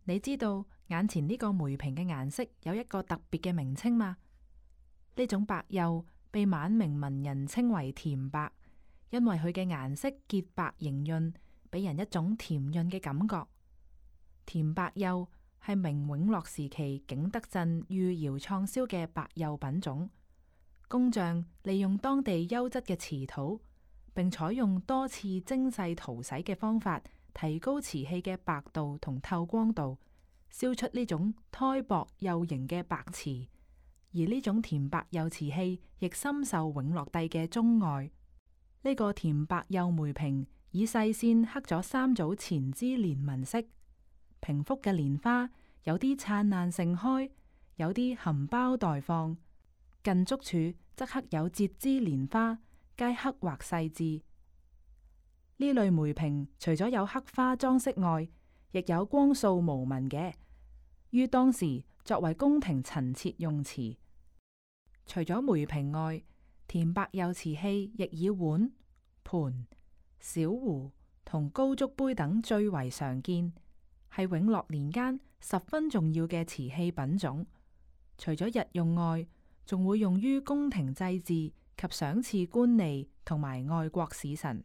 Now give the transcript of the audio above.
你知道眼前呢個梅瓶嘅顏色有一個特別嘅名稱嗎？呢種白釉被晚明文人稱為甜白，因為佢嘅顏色潔白莹潤，俾人一種甜潤嘅感覺。甜白釉係明永樂時期景德鎮御窯創燒嘅白釉品種，工匠利用當地優質嘅瓷土，並採用多次精細塗洗嘅方法，提高瓷器嘅白度同透光度，燒出呢種胎薄幼型嘅白瓷。而呢種甜白釉瓷器亦深受永樂帝嘅鍾愛。呢個甜白釉梅瓶以細線刻咗3組錢枝蓮紋飾，瓶腹嘅蓮花有啲燦爛盛開，有啲含苞待放，近足處則刻有節枝蓮花，皆刻畫細緻。呢類梅瓶除咗有刻花裝飾外，亦有光素無紋嘅，於當時作為宮廷陳設用詞。除咗梅瓶外，甜白釉瓷器亦以碗、盤、小壺同高足杯等最為常見，係永樂年間十分重要嘅瓷器品種。除咗日用外，仲會用於宮廷祭祀及賞賜官吏同埋外國使臣。